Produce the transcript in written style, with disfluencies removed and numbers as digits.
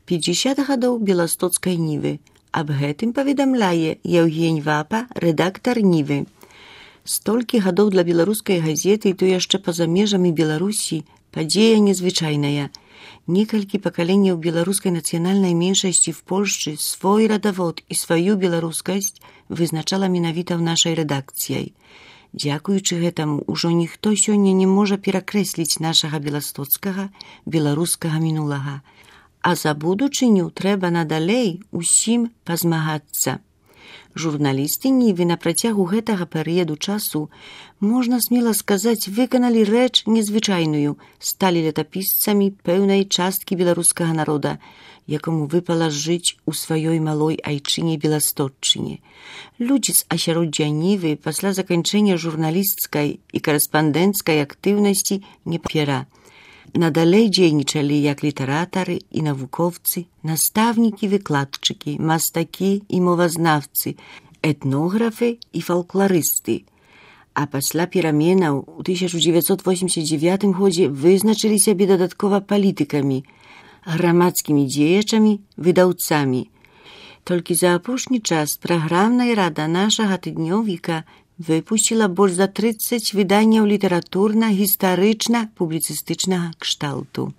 50 гадоў беластоцкай нівы. Аб гэтым паведамляе Евгень Вапа, рэдактар нівы. Столькі гадоў для беларускай газеты, і то яшчэ па-за межамі Беларусі, падзея незвычайная. Некалькі пакаленняў беларускай нацыянальнай меншасці в Польшчы свой радавод і сваю беларускасць вызначала менавіта ў нашай рэдакцыяй. Дзякуючы гэтаму, ужо ніхто сёння не можа перакрэсліць нашага беластоцкага, беларускага мінулага. А за будучыню трэба надалей усім пазмагацца. Журналісты нівы на працягу гэтага перыяду часу, можна смела сказаць, выканалі рэч незвычайную, сталі летапісцамі пэўнай часткі беларускага народа, якому выпала жыць у сваёй малой айчыне Беластотчыне. Людзі з асяроддзя нівы пасля заканчэння журналісцкай і карэспандэнцкай актыўнасці не папера. Надалей дзейнічалі як літаратары і навукоўцы, настаўнікі, выкладчыкі, мастакі і мовазнаўцы, этнографы і фалкларысты. А пасля пераменаў у 1989 годзе вызначылі сябе дадаткова палітыкамі, грамадскімі дзеячамі, выдаўцамі. Толькі за апошні час праграмная рада нашага тыднёвіка выпусціла больш за 30 выданняў літаратурна-гістарычна-публіцыстычнага кшталту.